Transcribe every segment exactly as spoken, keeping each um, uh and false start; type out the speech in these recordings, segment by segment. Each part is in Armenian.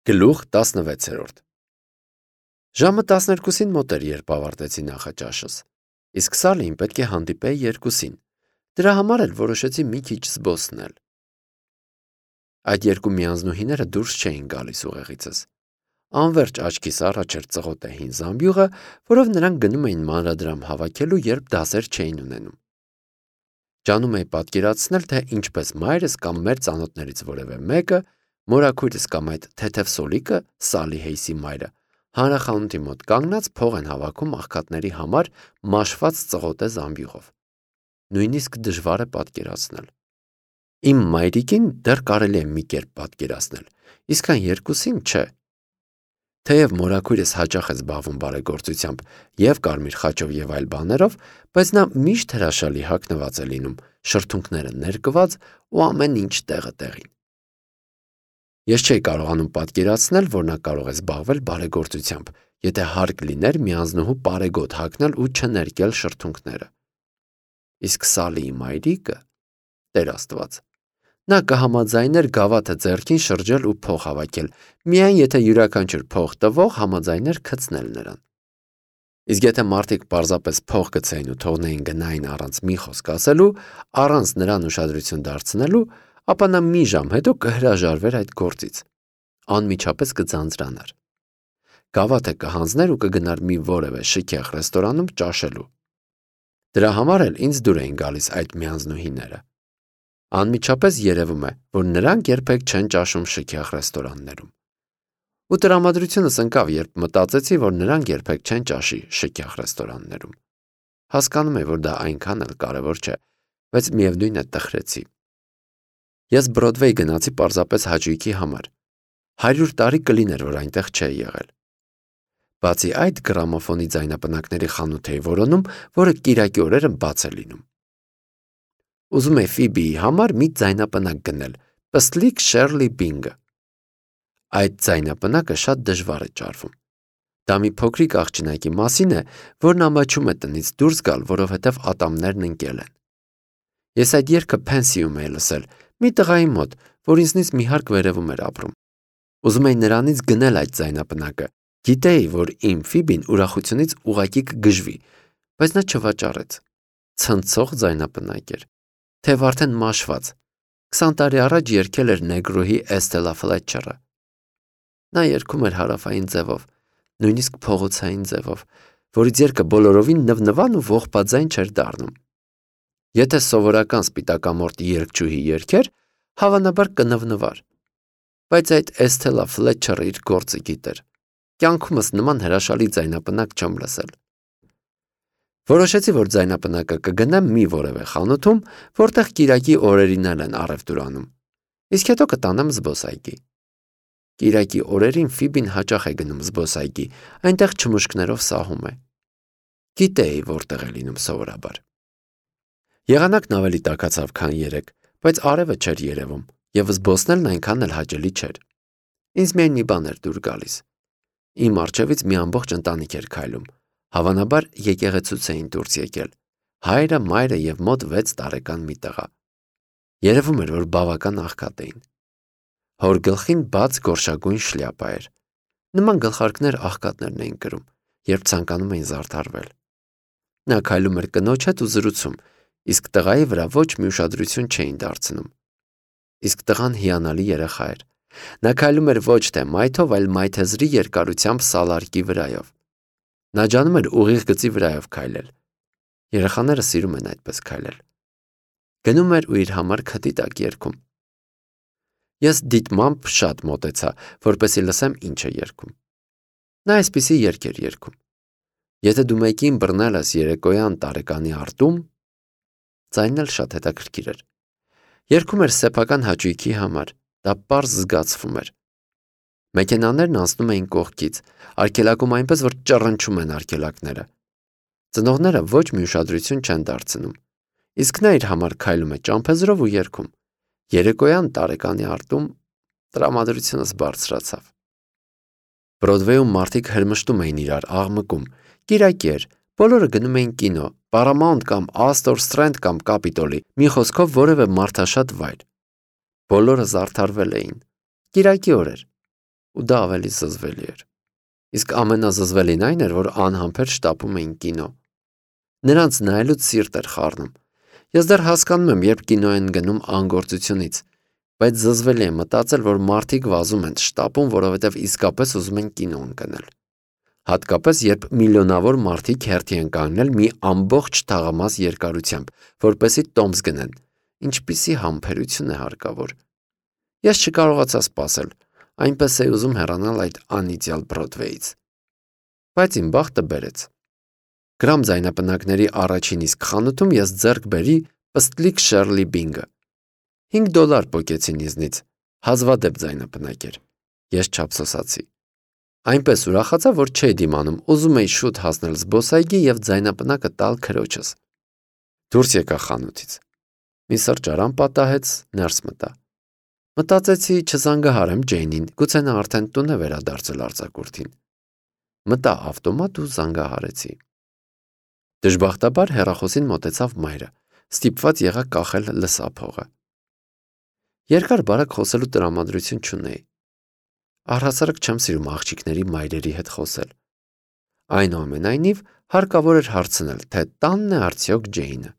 Գլուխ տասնվեցերորդ Ժամը տասներկուսին մոտ էր, երբ ավարտեցի նախաճաշս, իսկ Սալին պետք է հանդիպեի երկուսին, դրա համար էլ որոշեցի մի քիչ զբոսնել։ Այդ երկու միանձնուհիները դուրս չէին գալիս ուղեղիցս։ Անվերջ աչքիս առաջ էր ծղոտե հին զամբյուղը, որով նրանք գնում էին մանրադրամ հավաքելու, երբ դասեր չէին ունենում։ Ջանում էի պատկերացնել, թե ինչպես մայրս կամ մեր ծանոթներից որևէ մեկը, մորաքույրս կամ այդ թեթև սոլիկը, Սալի Հեյսի մայրը, հանրախանութի մոտ կանգնած փող են հավաքում աղքատների համար մաշված ծղոտե զամբյուղով։ Նույնիսկ դժվար է պատկերացնել։ Իմ մայրիկին դեռ կարելի է մի կերպ պատկերացնել, իսկ այն երկուսին չէ։ Թեև մորաքույրս հաճախ է զբաղվում բարեգործությամբ և կարմիր խաչով և այլ բաներով, բայց նա միշտ հրաշալի հագնված է լինում, շրթունքները ներկված ու ամեն ինչ տեղը տեղին։ Ես չէի կարողանում պատկերացնել, որ նա կարող է զբաղվել բարեգործությամբ, եթե հարկ լիներ միանձնուհու պարեգոտ հագնել ու չներկել շրթունքները։ Իսկ Սալիի մայրիկը, Տեր Աստված, նա կհամաձայներ գավաթը ձեռքին շրջել ու փող հավաքել, միայն եթե յուրաքանչյուր փող տվող համաձայներ գցնել նրան։ Իսկ եթե մարդիկ պարզապես փող գցեին ու թողնեին գնային առանց մի խոսք ասելու, առանց նրան ուշադրություն դարձնելու, ապա նա մի ժամ հետո կհրաժարվեր այդ գործից, անմիջապես կձանձրանար։ Գավաթը կհանձներ ու կգնար մի որևէ շքեղ ռեստորանում ճաշելու։ Դրա համար էլ ինձ դուր էին գալիս այդ միանձնուհիները։ Անմիջապես երևում է, որ նրանք երբեք չեն ճաշում շքեղ ռեստորաններում։ Ու տրամադրությունս ընկավ, երբ մտածեցի, որ նրանք երբեք չեն ճաշի շքեղ ռեստորաններում։ Հասկանում եմ, որ դա այնքան էլ կարևոր չէ, բայց միևնույն է տխրեցի։ Ես Բրոդվեյ գնացի պարզապես հաճույքի համար։ Հարյուր տարի կլիներ, որ այնտեղ չէի եղել։ Բացի այդ, գրամոֆոնի ձայնապնակների խանութ էի որոնում, որը կիրակի օրերը բաց է լինում։ Ուզում էի Ֆիբիի համար մի ձայնապնակ գնել, Պստլիկ Շերլի Բինգը։ Այդ ձայնապնակը շատ դժվար է ճարվում։ Դա մի փոքրիկ աղջնակի մասին է, որն ամաչում է տնից դուրս գալ, որովհետև ատամներն ընկել են։ Ես այդ երգը Փենսիում էի լսել, մի տղայի մոտ, որ ինձնից մի հարկ վերևում էր ապրում։ Ուզում էի նրանից գնել այդ ձայնապնակը, գիտեի, որ իմ Ֆիբին ուրախությունից ուղղակի կգժվի, բայց նա չվաճառեց։ Ցնցող ձայնապնակ էր, թեև արդեն մաշված, քսան տարի առաջ երգել էր Նեգրոհի Էստելա Ֆլետչերը։ Նա երգում էր հարավային ձևով, նույնիսկ փողոցային ձևով, որից երգը բոլորովին նվնվան ու ողբաձայն չէր դառնում։ Եթե սովորական սպիտակամորթ երգչուհի երգեր, հավանաբար կնվնվար։ Բայց այդ Էստելա Ֆլետչերը իր գործը գիտեր։ Կյանքումս նման հրաշալի ձայնապնակ չեմ լսել։ Որոշեցի, որ ձայնապնակը կգնեմ մի որևէ խանութում, որտեղ կիրակի օրերին են առևտուր անում, իսկ հետո կտանեմ զբոսայգի։ Կիրակի օրերին Ֆիբին հաճախ է գնում զբոսայգի, այնտեղ չմուշկներով սահում է։ Գիտեի, որտեղ է լինում սովորաբար։ Եղանակն ավելի տաքացավ, քան երեկ, բայց արևը չէր երևում, և զբոսնելն այնքան էլ հաճելի չէր։ Ինձ միայն մի բան էր դուր գալիս։ Իմ առջևից մի ամբողջ ընտանիք էր քայլում, հավանաբար եկեղեցուց էին դուրս եկել, հայրը, մայրը և մոտ վեց տարեկան մի տղա։ Երևում էր, որ բավական աղքատ էին։ Հոր գլխին բաց գորշագույն շլյապա էր։ Նման գլխարկներ աղքատներն էին կրում, երբ ցանկանում էին զարդարվել։ Նա քայլում էր կնոջ հետ ու զրուցում, իսկ տղայի վրա ոչ մի ուշադրություն չէին դարձնում։ Իսկ տղան հիանալի երեխա էր։ Նա քայլում էր ոչ թե մայթով, այլ մայթեզրի երկարությամբ սալարկի վրայով։ Նա ջանում էր ուղիղ գծի վրայով քայլել։ Երեխաները սիրում են այդպես քայլել։ Գնում էր ու իր համար քթի տակ երգում։ Ես դիտմամբ շատ մոտեցա, որպեսզի լսեմ ինչ է երգում։ Նա այսպիսի երգ էր երգում. Եթե դու մեկին բռնել ես երեկոյան տարեկանի արտում, ձայնն էլ շատ հետաքրքիր էր։ Երգում էր սեփական հաճույքի համար, դա պարզ զգացվում էր։ Մեքենաներն անցնում էին կողքից, արգելակում այնպես, որ ճռնչում են արգելակները։ Ծնողները ոչ մի ուշադրություն չեն դարձնում, իսկ նա իր համար քայլում է ճամփեզրով ու երգում։ Երեկոյան տարեկանի արտում տրամադրությունս բարձրացավ։ Բրոդվեյում մարդիկ հրմշտում էին իրար, աղմկում։ Կիրակի էր, բոլորը գնում էին կինո, Paramount կամ Astor Strand կամ Capitol-ի, մի խոսքով որևէ մարդաշատ վայր։ Բոլորը զարդարվել էին։ Կիրակի օր էր։ ու դա ավելի զզվելի էր։ Իսկ ամենազզվելին այն էր, որ անհամբեր շտապում էին կինո։ Նրանց նայելուց սիրտ էր խառնում։ Ես դեռ հասկանում եմ, երբ կինո են գնում անգործությունից, բայց զզվելի է մտածել, որ մարդիկ վազում են, շտապում, որովհետև իսկապես ուզում են կինո ընկնել։ Հատկապես, երբ միլիոնավոր մարդիկ հերթի են կանգնել մի ամբողջ թաղամաս երկարությամբ, որպեսզի տոմս գնեն, ինչպիսի համբերություն է հարկավոր։ Ես չկարողացա սպասել, այնպես էի ուզում հեռանալ այդ անիծյալ Բրոդվեյից։ Բայց իմ բախտը բերեց։ Գրամ ձայնապնակների առաջին իսկ խանութում ես ձեռք բերի պստլիկ Շերլի Բինգը։ հինգ դոլար պոկեցին ինձնից, հազվադեպ ձայնապնակ էր։ Ես չափսոսացի։ Այնպես ուրախացա, որ չէի դիմանում, ուզում էի շուտ հասնել զբոսայգի և ձայնապնակը տալ քրոջս։ Դուրս եկա խանութից։ Մի սրճարան պատահեց, ներս մտա։ Մտածեցի չզանգահարեմ Ջեյնին, գուցե նա արդեն տուն է վերադարձել արձակուրդին։ Մտա ավտոմատ ու զանգահարեցի։ Դժբախտաբար հեռախոսին մոտեցավ մայրը, ստիպված եղա կախել լսափողը։ Երկար բարակ խոսելու տրամադրություն չունեի։ Առհասարակ չեմ սիրում աղջիկների մայրերի հետ խոսել։ Այնուամենայնիվ հարկավոր էր հարցնել, թե տանն է արդյոք Ջեյնը։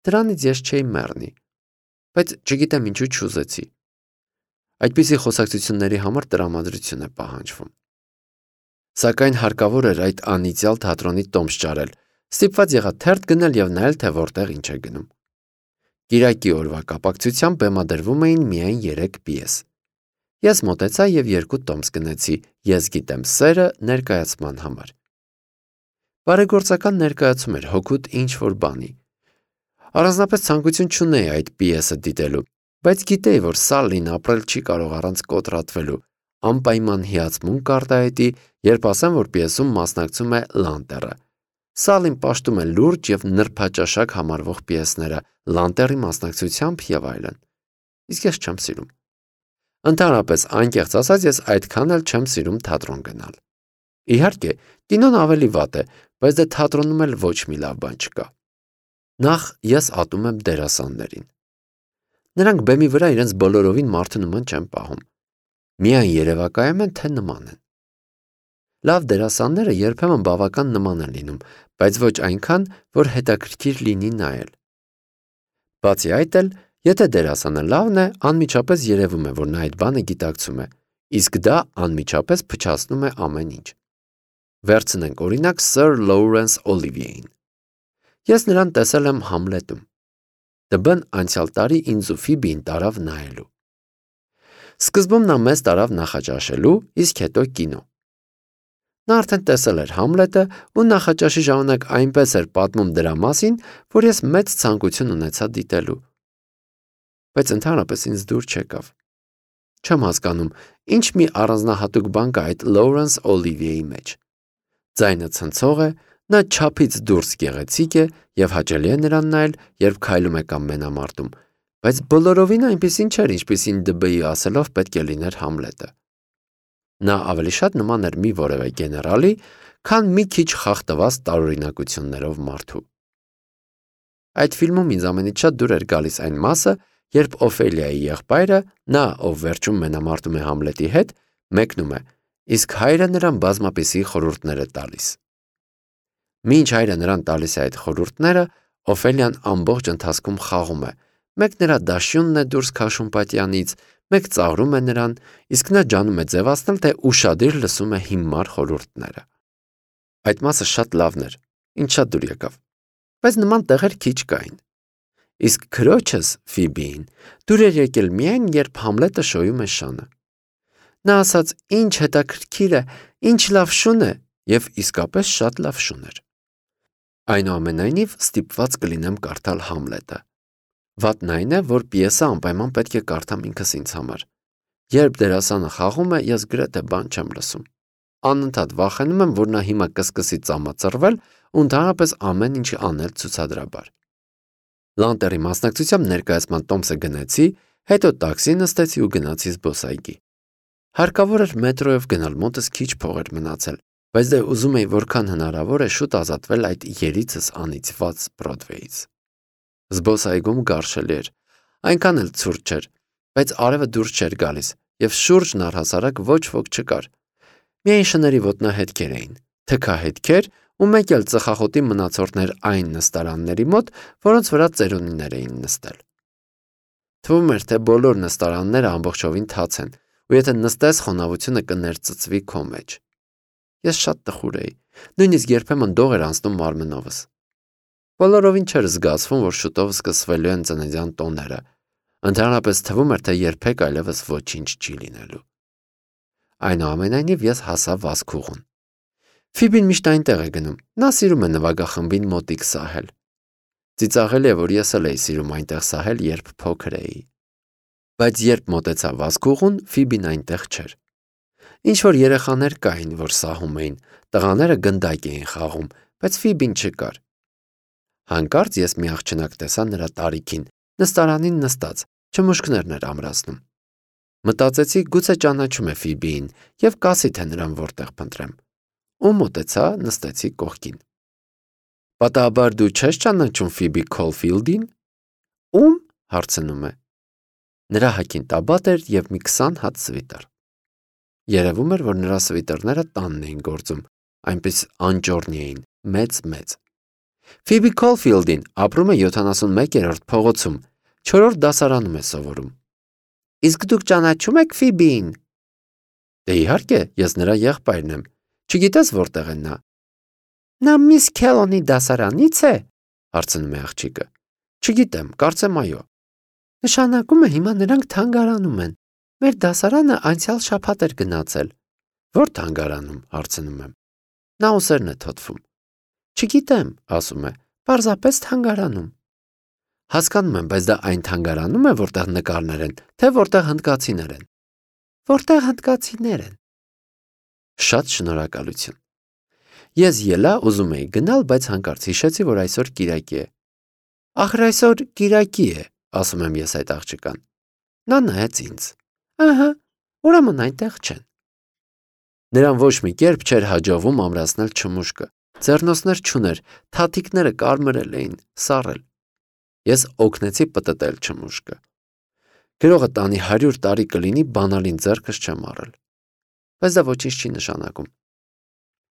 Դրանից ես չէի մեռնի, բայց չգիտեմ ինչու չուզեցի։ Այդպիսի խոսակցությունների համար տրամադրություն է պահանջվում։ Սակայն հարկավոր էր այդ անիծյալ թատրոնի տոմս ճարել, ստիպված եղա թերթ գնել և նայել, թե որտեղ ինչ է գնում։ Կիրակի օրվա կապակցությամբ բեմադրվում էին միայն երեք պիես։ Ես մոտեցա և երկու տոմս գնեցի «Ես գիտեմ սերը» ներկայացման համար։ Բարեգործական ներկայացում էր հօգուտ ինչ-որ բանի։ Առանձնապես ցանկություն չունեի այդ պիեսը դիտելու, բայց գիտեի, որ Սալլին ապրել չի կարող առանց կոտրատվելու, անպայման հիացմունք կարտահայտի, երբ ասեմ, որ պիեսում մասնակցում է Լանտերը։ Սալլին պաշտում է լուրջ և նրբաճաշակ համարվող պիեսները, Լանտերի մասնակցությամբ և այլն։ Իսկ ես չեմ սիրում։ Ընդհանրապես, անկեղծ ասած, ես այդքան էլ չեմ սիրում թատրոն գնալ։ Իհարկե, կինոն ավելի վատ է, բայց դե թատրոնում էլ ոչ մի լավ բան չկա։ Նախ ես ատում եմ դերասաններին։ Նրանք բեմի վրա իրենց բոլորովին մարդու նման չեն պահում։ Միայն երևակայում են, թե նման են։ Լավ դերասանները երբեմն բավական նման են լինում, բայց ոչ այնքան, որ հետաքրքիր լինի նայել։ Բացի այդ էլ, եթե դերասանը լավն է, անմիջապես երևում է, որ նա այդ բանը գիտակցում է, իսկ դա անմիջապես փչացնում է ամեն ինչ։ Վերցնենք օրինակ Սըր Լոուրենս Օլիվիեին։ Ես նրան տեսել եմ Համլետում։ Դբն անցյալ տարի ինձ ու Ֆիբիին տարավ նայելու։ Սկզբում նա մեզ տարավ նախաճաշելու, իսկ հետո կինո։ Նա արդեն տեսել էր Համլետը ու նախաճաշի ժամանակ այնպես էր պատմում դրա մասին, որ ես մեծ ցանկություն ունեցա դիտելու։ Բայց ընդհանրապես ինձ դուր չեկավ։ Չեմ հասկանում, ինչ մի առանձնահատուկ բան կա այդ Լոուրենս Օլիվիեի մեջ։ Ձայնը ցնցող է, նա չափից դուրս գեղեցիկ է և հաճելի է նրան նայել, երբ քայլում է կամ մենամարտում, բայց բոլորովին այնպիսին չէր, ինչպիսին դբ-ի ասելով պետք է լիներ Համլետը։ Նա ավելի շատ նման էր մի որևէ գեներալի, քան մի քիչ խախտված տարօրինակություններով մարդու։ Այդ ֆիլմում ինձ ամենից շատ դուր էր գալիս այն մասը, երբ Օֆելիայի եղբայրը, նա, ով վերջում մենամարտում է Համլետի հետ, մեկնում է, իսկ հայրը նրան բազմապիսի խորհուրդներ է տալիս։ Մինչ հայրը նրան տալիս է այդ խորհուրդները, Օֆելիան ամբողջ ընթացքում խաղում է, մեկ նրա դաշյունն է դուրս քաշում պատյանից, մեկ ծաղրում է նրան, իսկ նա ջանում է ձևացնել, թե ուշադիր լսում է հիմար խորհուրդները։ Այդ մասը շատ լավն էր, ինձ շատ դուր եկավ, բայց նման տեղեր քիչ կային։ Իսկ քրոջս Ֆիբիին դուր էր եկել միայն, երբ Համլետը շոյում է շանը։ Նա ասաց, ինչ հետաքրքիր է, ինչ լավ շուն է, և իսկապես շատ լավ շուն էր։ Այնուամենայնիվ ստիպված կլինեմ կարդալ Համլետը։ Վատն այն է, որ պիեսը անպայման պետք է կարդամ ինքս ինձ համար։ Երբ դերասանը խաղում է, ես գրեթե բան չեմ լսում։ Անընդհատ վախենում եմ, որ նա հիմա կսկսի ծամածռվել ու ընդհանրապես ամեն ինչ անել ցուցադրաբար։ Լանտերի մասնակցությամբ ներկայացման տոմսը գնեցի, հետո տաքսի նստեցի ու գնացի զբոսայգի։ Հարկավոր էր մետրոյով գնալ, մոտս քիչ փող էր մնացել, բայց դե ուզում էի որքան հնարավոր է շուտ ազատվել այդ երիցս անիծված Բրոդվեյից։ Զբոսայգում գարշելի էր, այնքան էլ ցուրտ չէր, բայց արևը դուրս չէր գալիս և շուրջն առհասարակ ոչ ոք չկար։ Միայն շների ոտնահետքեր էին, թքահետքեր ու մեկ էլ ծխախոտի մնացորդներ այն նստարանների մոտ, որոնց վրա ծերունիներ էին նստել։ Թվում էր, թե բոլոր նստարանները ամբողջովին թաց են, ու եթե նստես, խոնավությունը կներծծվի քո մեջ։ Ես շատ տխուր էի, նույնիսկ երբեմն դող էր անցնում մարմնովս։ Բոլորովին չէր զգացվում, որ շուտով սկսվելու են ծննդյան տոները։ Ընդհանրապես թվում էր, թե երբեք այլևս ոչինչ չի լինելու։ Այնուամենայնիվ ես հասա վազքուղուն։ Ֆիբին միշտ այնտեղ է գնում, նա սիրում է նվագախմբին մոտիկ սահել։ Ծիծաղելի է, որ ես էլ էի սիրում այնտեղ սահել, երբ փոքր էի։ Բայց երբ մոտեցա վազքուղուն, Ֆիբին այնտեղ չէր։ Ինչ-որ երեխաներ կային, որ սահում էին, տղաները գնդակ էին խաղում, բայց Ֆիբին չկար։ Հանկարծ ես մի աղջնակ տեսա նրա տարիքին, նստարանին նստած, չմուշկներն էր ամրացնում։ Մտածեցի, գուցե ճանաչում է Ֆիբիին և կասի, թե նրան որտեղ փնտրեմ։ Ու մոտեցա, նստեցի կողքին։ Պատահաբար դու չես ճանաչում Ֆիբի Քոլֆիլդին։ Ում, հարցնում է։ Նրա հագին տաբատ էր և մի քսան հատ սվիտր։ Երևում էր, որ նրա սվիտերները տանն էին գործում, այնպես անճոռնի էին, մեծ-մեծ։ Ֆիբի Քոլֆիլդին ապրում է յոթանասունմեկերորդ փողոցում, չորրորդ դասարանում է սովորում։ Իսկ դուք ճանաչում եք Ֆիբիին։ Դե իհարկե, ես նրա եղբայրն եմ։ Չգիտես որտեղ է նա։ Նա Միս Քելոնի դասարանից է, հարցնում է աղջիկը։ Չգիտեմ, կարծեմ այո։ Նշանակում է հիմա նրանք թանգարանում են։ Մեր դասարանը անցյալ շաբաթ էր գնացել։ Որ թանգարանում, հարցնում եմ։ Նա ուսերն է թոթվում։ Չգիտեմ, ասում է, պարզապես թանգարանում։ Հասկանում եմ, բայց դա այն թանգարանում է, որտեղ նկարներ են, թե որտեղ հնդկացիներ են։ Որտեղ հնդկացիներ են։ Շատ շնորհակալություն։ Ես ելա, ուզում էի գնալ, բայց հանկարծ հիշեցի, որ այսօր կիրակի է։ Ախր այսօր կիրակի է, ասում եմ ես այդ աղջկան։ Նա նայեց ինձ։ Ահա, ուրեմն այնտեղ չեն։ Նրան ոչ մի կերպ չէր հաջողվում ամրացնել չմուշկը։ Ձեռնոցներ չուներ, թաթիկները կարմրել էին, սառել։ Ես օգնեցի պտտել չմուշկը։ Գրողը տանի հարյուր տարի կլինի, բանալին ձեռքս չեմ առել։ Բայց դա ոչինչ չի նշանակում։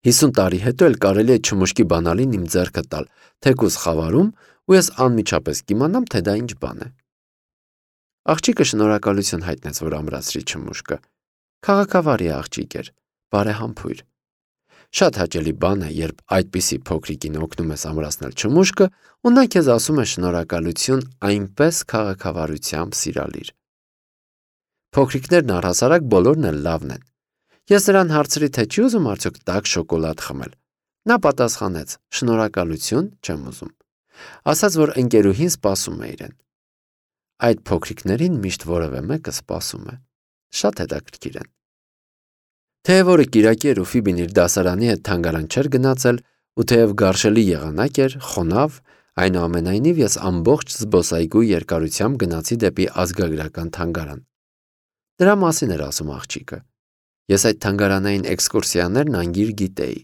Հիսուն տարի հետո էլ կարելի է չմուշկի բանալին իմ ձեռքը տալ, թեկուզ խավարում, ու ես անմիջապես կիմանամ, թե դա ինչ բան է։ Աղջիկը շնորհակալություն հայտնեց, որ ամրացրի չմուշկը։ Քաղաքավարի աղջիկ էր, բարեհամբույր։ Շատ հաճելի բան է, երբ այդպիսի փոքրիկին օգնում ես ամրացնել չմուշկը, ու նա քեզ ասում է շնորհակալություն այնպես քաղաքավարությամբ սիրալիր։ Փոքրիկներն առհասարակ բոլորն էլ լավն են։ Ես նրան հարցրի, թե չի ուզում արդյոք տաք շոկոլադ խմել։ Նա պատասխանեց. շնորհակալություն, չեմ ուզում։ Ասաց, որ ընկերուհին սպասում է իրեն։ Այդ փոքրիկներին միշտ որևէ մեկը սպասում է։ Շատ հետաքրքիր են։ Թեև օրը կիրակի էր ու Ֆիբին իր դասարանի հետ թանգարան չէր գնացել, ու թեև գարշելի եղանակ էր, խոնավ, այնուամենայնիվ ես ամբողջ զբոսայգու երկարությամբ գնացի դեպի ազգագրական թանգարան։ Դրա մասին էր ասում աղջիկը։ Ես այդ թանգարանային էքսկուրսիաներն անգիր գիտեի։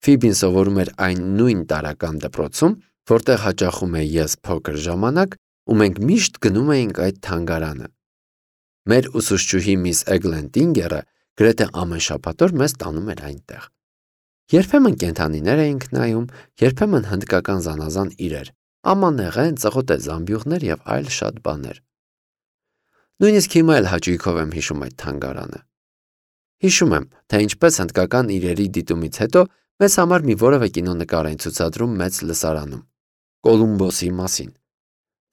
Ֆիբին սովորում էր այն նույն տարրական դպրոցում, որտեղ հաճախում էի ես փոքր ժամանակ, ու մենք միշտ գնում էինք այդ թանգարանը։ Մեր ուսուցչուհի միս Էգլենտինգերը գրեթե ամեն շաբաթ օր մեզ տանում էր այնտեղ։ Երբեմն կենդանիներ էինք նայում, երբեմն հնդկական զանազան իրեր, ամանեղեն, ծղոտե զամբյուղներ և այլ շատ բաներ։ Նույնիսկ հիմա էլ հաճույքով եմ հիշում այդ թանգարանը։ Հիշում եմ, թե ինչպես հնդկական իրերի դիտումից հետո մեզ համար մի որևէ կինոնկար էին ցուցադրում մեծ լսարանում։ Կոլումբոսի մասին։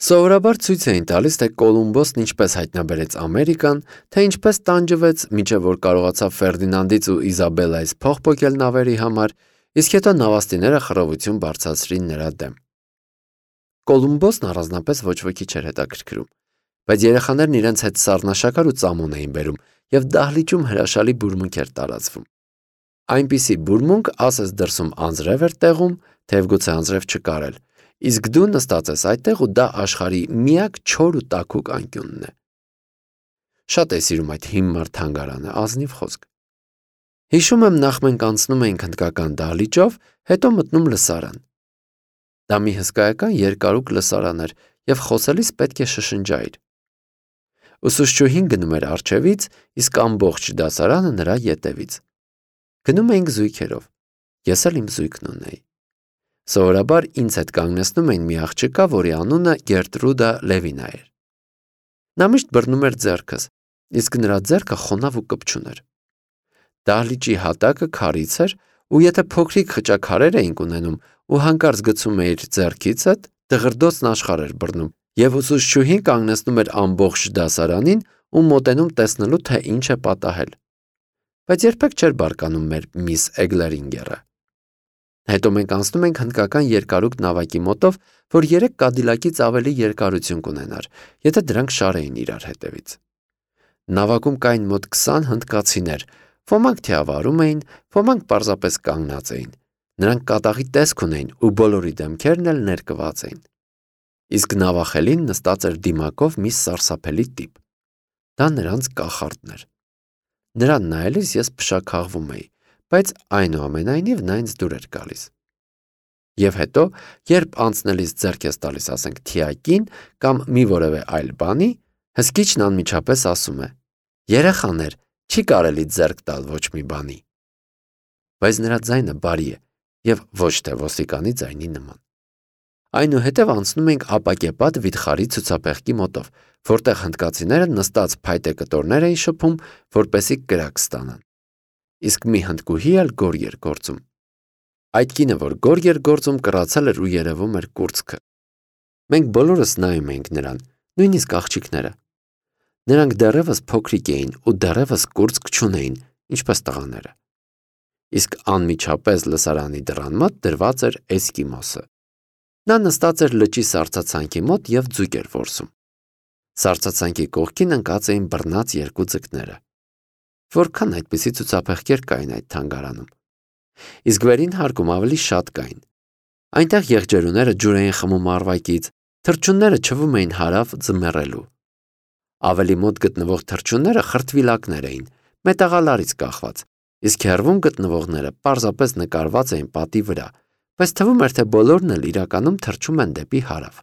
Սովորաբար ցույց էին տալիս, թե Կոլումբոսն ինչպես հայտնաբերեց Ամերիկան, թե ինչպես տանջվեց, մինչև որ կարողացավ Ֆերդինանդից ու Իզաբելլայից փող պոկել նավերի համար, իսկ հետո նավաստիները խռովություն բարձրացրին նրա դեմ։ Կոլումբոսն առանձնապես ոչ ոքի չէր հետաքրքրում, բայց երեխաներն իրենց հետ սառնաշաքար ու ծամոն էին բերում, և դահլիճում հրաշալի բուրմունք էր տարածվում։ Այնպիսի բուրմունք ասես դրսում անձրև էր տեղում, թեև գուցե անձրև չկար էլ, իսկ դու նստած ես այդտեղ ու դա աշխարհի միակ չոր ու տաքուկ անկյունն է։ Շատ էի սիրում այդ հիմար թանգարանը, ազնիվ խոսք։ Հիշում եմ, նախ մենք անցնում էինք հնդկական դահլիճով, հետո մտնում լսարան։ Դա մի հսկայական երկարուկ լսարան էր, և խոսելիս պետք է շշնջայիր։ Ուսուցչուհին գնում էր առջևից, իսկ ամբողջ դասարանը նրա ետևից։ Գնում էինք զույգերով։ Ես էլ իմ զույգն ունեի։ Սովորաբար ինձ հետ կանգնեցնում էին մի աղջկա, որի անունը Գերտրուդա Լևինա էր։ Նա միշտ բռնում էր ձեռքս, իսկ նրա ձեռքը խոնավ ու կպչուն էր։ Դահլիճի հատակը քարից էր, ու եթե փոքրիկ խճաքարեր էինք ունենում ու հանկարծ գցում էիր ձեռքիցդ, դղրդոցն աշխարհ էր բռնում, եւ ուսուցչուհին կանգնեցնում էր ամբողջ դասարանին ու մոտենում տեսնելու, թե ինչ է պատահել։ Բայց երբեք չէր բարկանում մեր միս Էգլերինգերը։ Հետո մենք անցնում ենք հնդկական երկարուկ նավակի մոտով, որ երեք կադիլակից ավելի երկարություն կունենար, եթե դրանք շարեին իրար հետևից։ Նավակում կային մոտ քսան հնդկացիներ, ոմանք թիավարում էին, ոմանք պարզապես կանգնած էին։ Նրանք կատաղի տեսք ունեին ու բոլորի դեմքերն էլ ներկված էին։ Իսկ նավախելին նստած էր դիմակով մի սարսափելի տիպ։ Դա նրանց կախարդն էր։ Նրան նայելիս ես փշաքաղվում էի, բայց այնուամենայնիվ նա ինձ դուր էր գալիս։ Եվ հետո, երբ անցնելիս ձեռք ես տալիս, ասենք, թիակին կամ մի որևէ այլ բանի, հսկիչն անմիջապես ասում է. «Երեխաներ, չի կարելի ձեռք տալ ոչ մի բանի»։ Բայց նրա ձայնը բարի է եւ ոչ թե ոստիկանի ձայնի նման։ Այնուհետև անցնում ենք ապակեպատ վիթխարի ցուցափեղկի մոտով, որտեղ հնդկացիները նստած փայտե կտորներ էին շփում, որպեսզի կրակ ստանան։ Իսկ մի հնդկուհի էլ գոր էր գործում։ Այդ կինը, որ գոր էր գործում, կռացել էր ու երևում էր կուրծքը։ Մենք բոլորս նայում էինք նրան, նույնիսկ աղջիկները։ Նրանք դեռևս փոքրիկ էին ու դեռևս կուրծք չունեին, ինչպես տղաները։ Իսկ անմիջապես լսարանի դռան մոտ դրված էր էսկիմոսը։ Նա նստած էր լճի սառցացանքի մոտ եւ ձուկ էր որսում։ Սառցացանքի կողքին ընկած էին բռնած երկու ձկները։ Որքան այդպիսի ցուցափեղկեր կային այդ թանգարանում։ Իսկ վերին հարկում ավելի շատ կային։ Այնտեղ եղջերուները ջուր էին խմում առվակից, թռչունները չվում էին հարավ ձմեռելու։ Ավելի մոտ գտնվող թռչունները խրտվիլակներ էին, մետաղալարից կախված, իսկ հեռվում գտնվողները պարզապես նկարված էին պատի վրա, բայց թվում էր, թե բոլորն էլ իրականում թռչում են դեպի հարավ։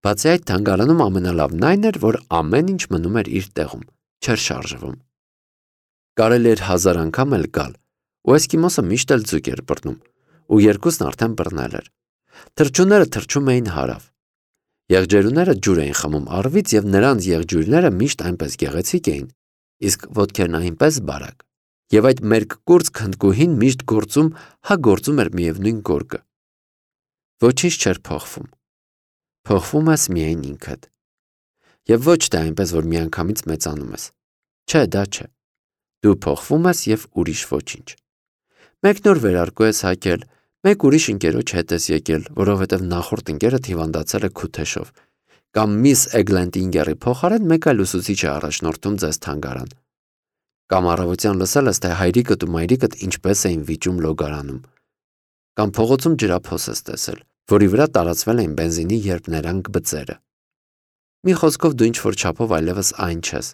Բացի այդ, թանգարանում ամենալավն այն էր, որ ամեն ինչ մնում էր իր տեղում, չէր շարժվում։ Կարելի էր հազար անգամ էլ գալ, ու էսկիմոսը միշտ էլ ձուկ էր բռնում, ու երկուսն արդեն բռնել էր։ Թռչունները թռչում էին հարավ։ Եղջերուները ջուր էին խմում առվից եւ նրանց եղջյուրները միշտ այնպես գեղեցիկ էին, իսկ ոտքերն այնպես բարակ։ Եվ այդ մերկ կուրծք հնդկուհին միշտ գործում, հա գործում էր միևնույն գորգը։ Ոչինչ չէր փոխվում։ Փոխվում ես միայն ինքդ։ Եվ ոչ թե այնպես, որ միանգամից մեծանում ես։ Չէ, դա չէ։ Դու փոխվում ես եւ ուրիշ ոչինչ։ Մեկ նոր վերարկու ես հագել, մեկ ուրիշ ընկերոջ հետ ես եկել, որովհետև նախորդ ընկերը հիվանդացել է քութեշով, կամ միս Էգլենտինգերի փոխարեն մեկ այլ ուսուցիչ է առաջնորդում ձեզ թանգարան, կամ առավոտյան լսել ես, թե հայրիկդ ու մայրիկդ ինչպես էին վիճում լոգարանում, կամ փողոցում ջրափոս ես տեսել, որի վրա տարածվել էին բենզինի երպներանգ բծերը։ Մի խոսքով դու ինչ-որ չափով այլևս այն չես։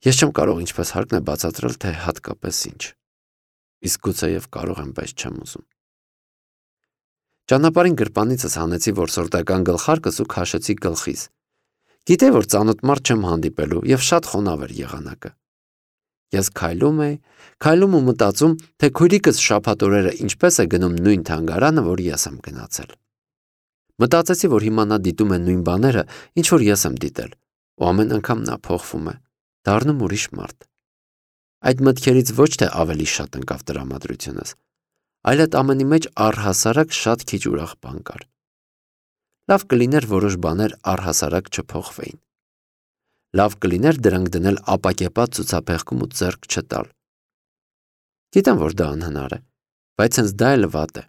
Ես չեմ կարող ինչպես հարկն է բացատրել, թե հատկապես ինչ։ Իսկ գուցեև կարող եմ, բայց չեմ ուզում։ Ճանապարհին գրպանիցս հանեցի որսորդական գլխարկս ու քաշեցի գլխիս։ Գիտեի, որ ծանոթ մարդ չեմ հանդիպելու եւ շատ խոնավ էր եղանակը։ Ես քայլում էի, քայլում ու մտածում, թե քույրիկս շաբաթ օրերը ինչպես է գնում նույն թանգարանը, որ ես եմ գնացել։ Մտածեցի, որ հիմա նա դիտում է նույն բաները, ինչ որ ես եմ դիտել, ու ամեն անգամ նա փոխվում է, դառնում ուրիշ մարդ։ Այդ մտքերից ոչ թե ավելի շատ ընկավ տրամադրությունս, այլ այդ ամենի մեջ առհասարակ շատ քիչ ուրախ բան կար։ Լավ կլիներ որոշ բաներ առհասարակ չփոխվեին։ Լավ կլիներ դրանք դնել ապակեպատ ցուցափեղկում ու ձեռք չտալ։ Գիտեմ, որ դա անհնար է, բայց հենց դա էլ վատ է։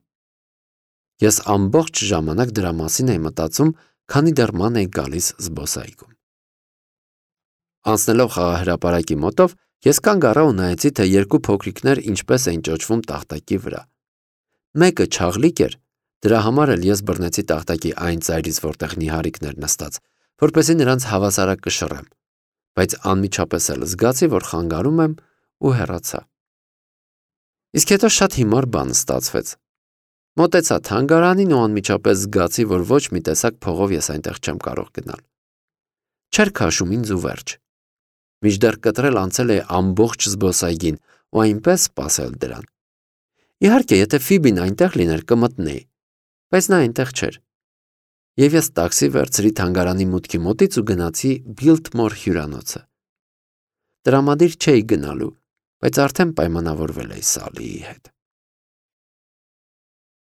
Ես ամբողջ ժամանակ դրա մասին էի մտածում, քանի դեռ ման էի գալիս զբոսայգում։ Անցնելով խաղահրապարակի մոտով, ես կանգ առա ու նայեցի, թե երկու փոքրիկներ ինչպես էին ճոճվում տախտակի վրա։ Մեկը չաղլիկ էր, դրա համար էլ ես բռնեցի տախտակի այն ծայրից, որտեղ նիհարիկն էր նստած, որպեսզի նրանց հավասարակ կշռեմ, բայց անմիջապես էլ զգացի, որ խանգարում եմ ու հեռացա։ Իսկ հետո շատ հիմար բան ստացվեց։ Մոտեցա թանգարանին ու անմիջապես զգացի, որ ոչ մի տեսակ փողով ես այնտեղ չեմ կարող գնալ։ Չէր քաշում ինձ ու վերջ։ Մինչդեռ կտրել անցել է ամբողջ զբոսայգին ու այնպես սպասել դրան։ Իհարկե, եթե Ֆիբին այնտեղ լիներ, կմտնեի, բայց նա այնտեղ չէր։ Եվ ես տաքսի վերցրի թանգարանի մուտքի մոտից ու գնացի Բիլթմոր հյուրանոցը։ Տրամադիր չէի գնալու, բայց արդեն պայմանավորվել էի Սալիի հետ։